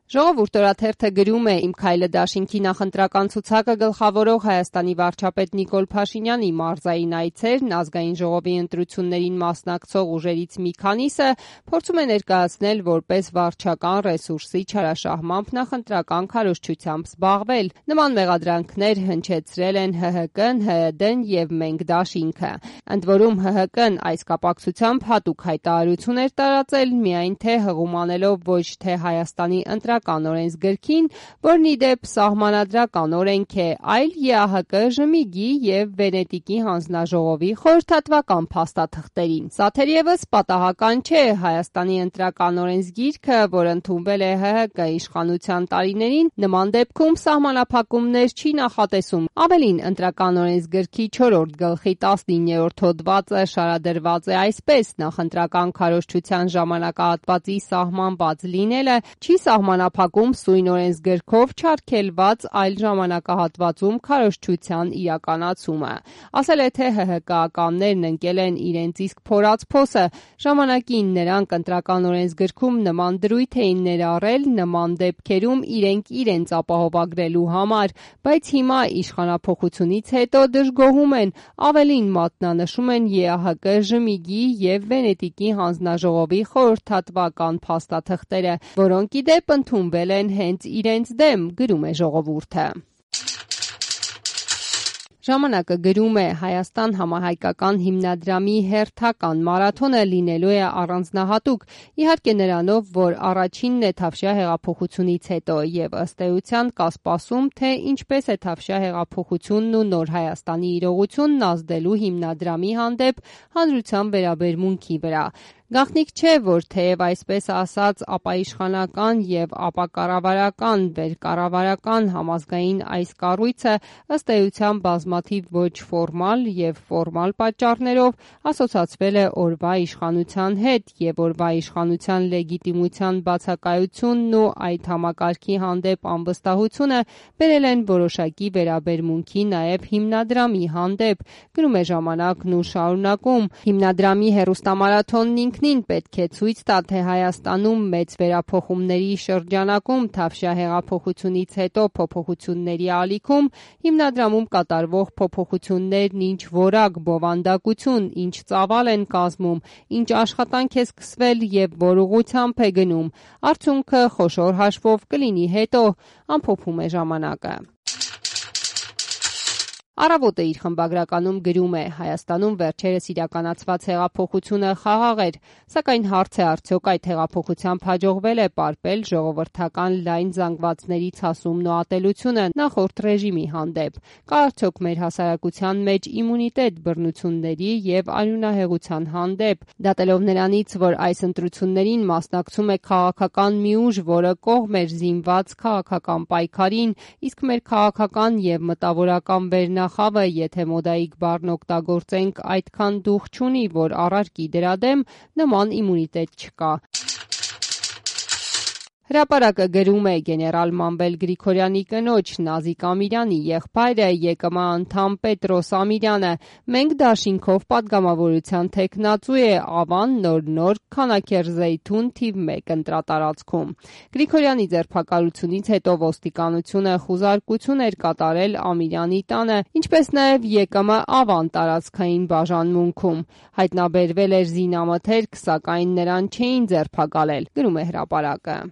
Ժողովուրդ օրաթերթը գրում է «Իմ քայլը» դաշինքի նախընտրական ցուցակը գլխավորող Հայաստանի վարչապետ Նիկոլ Փաշինյանի մարզային այցերն ազգային ժողովի ընտրություններին մասնակցող ուժերից մի քանիսը փորձում է ներկայացնել որպես վարչական ռեսուրսի չարաշահմամբ նախընտրական քարոզչությամբ զբաղվել։ Նման մեղադրանքներ հնչեցրել են ՀՀԿ-ն, ՀՅԴ-ն եւ «Մենք» դաշինքը։ Ընդ որում ՀՀԿ-ն այս կապակցությամբ հատուկ հայտարարություն էր տարածել, միայն թե հղում անելով ոչ թե Հայաստանի ընտրական օրենսգրքին, որն ի դեպ սահմանադրական օրենք է, այլ ԵԱՀԿ ԺՄԻԳ-ի եւ Վենետիկի հանձնաժողովի խորհրդատվական փաստաթղթերին։ Սա թերևս պատահական չէ։ Հայաստանի ընտրական օրենսգիրքը, որ ընդունվել է ՀՀԿ իշխանության տարիներին, նման դեպքում սահմանափակումներ չի նախատեսում։ Ավելին, ընտրական օրենսգրքի 4-րդ գլխի 19-րդ հոդվածը շարադրված է այսպես. նախընտրական քարոզչության ժամանակահատվածի սահմանված լինելը չի սահմանափակում սույն օրենսգրքով չարգելված այլ ժամանակահատվածում քարոզչության իրականացումը։ Ասել է, թե ՀՀԿ-ականներն ընկել են իրենց իսկ փորած փոսը։ Ժամանակին նրանք ընտրական օրենսգրքում նման դրույթ էին ներառել նման դեպքերում իրենց ապահովագրելու համար, բայց հիմա իշխանափոխությունից հետո դժգոհում են, ավելին մատնանշում են ԵԱՀԿ ԺՄԻԳ-ի եւ Վենետիկի հանձնաժողովի խորհրդատվական փաստաթղթերը, որոնք ի դեպ ընդունվել են հենց իրենց դեմ, գրում է Ժողովուրդը։ Ժամանակը գրում է. Հայաստան համահայկական հիմնադրամի հերթական մարաթոնը լինելու է առանձնահատուկ, իհարկե նրանով, որ առաջինն է Թավշյա հեղափոխությունից հետո եւ ըստ էության կա սպասում, թե ինչպես է Թավշյա հեղափոխությունն ու Նոր Հայաստանի իրողությունն ազդելու հիմնադրամի հանդեպ հանրության վերաբերմունքի վրա։ Գաղտնիք չէ, որ թեև այսպես ասած ապաիշխանական եւ ապակառավարական, վերկառավարական համազգային այս կառույցը ըստ էության բազմաթիվ ոչ ֆորմալ եւ ֆորմալ պատճառներով ասոցացվել է օրվա իշխանության հետ եւ օրվա իշխանության լեգիտիմության բացակայությունն ու այդ համակարգի հանդեպ անվստահությունը բերել են որոշակի վերաբերմունքի նաեւ հիմնադրամի հանդեպ, գրում է Ժամանակն ու շարունակում. հիմնադրամի հեռուստամարաթոնն ինքնին պետք է ցույց տա, թե Հայաստանում մեծ վերափոխումների շրջանակում Թավշյա հեղափոխությունից հետո փոփոխությունների ալիքում հիմնադրամում կատարվող փոփոխություններն ինչ որակ, բովանդակություն, ինչ ծավալ են կազմում, ինչ աշխատանք է սկսվել եւ որ ուղղությամբ է գնում։ Արդյունքը խոշոր հաշվով կլինի հետո, ամփոփում է Ժամանակը։ Առավոտը իր խմբագրականում գրում է. Հայաստանում վերջերս իրականացված հեղափոխությունը խաղաղ էր, սակայն հարց է արդյոք այդ հեղափոխությամբ հաջողվել է պարպել ժողովրդական լայն զանգվածների ցասումն ու ատելությունը նախորդ ռեժիմի հանդեպ։ Կա արդյոք մեր հասարակության մեջ իմունիտետ բռնությունների եւ արյունահեղության հանդեպ, դատելով նրանից, որ այս ընտրություններին մասնակցում է քաղաքական մի ուժ, որը կողմ էր զինված քաղաքական պայքարին, իսկ մեր քաղաքական եւ մտավորական վերնախավը, եթե մոդայիկ բառն օգտագործենք, այդքան դուխ չունի, որ առարկի դրա դեմ նման իմունիտետ չկա։ Հրապարակը գրում է. գեներալ Մանվել Գրիգորյանի կնոջ Նազիկ Ամիրյանի եղբայրը ԵԿՄ անդամ Պետրոս Ամիրյանը «Մենք» դաշինքով պատգամավորության թեկնածու է Ավան Նոր Քանաքեռ-Զեյթուն թիվ 1 ընտրատարածքում։ Գրիգորյանի ձերբակալությունից հետո ոստիկանությունը խուզարկություն էր կատարել Ամիրյանի տանը, ինչպես նաև ԵԿՄ Ավան տարածքային բաժանմունքում։ Հայտնաբերվել էր զինամթերք, սակայն նրան չէին ձերբակալել, գրում է Հրապարակը։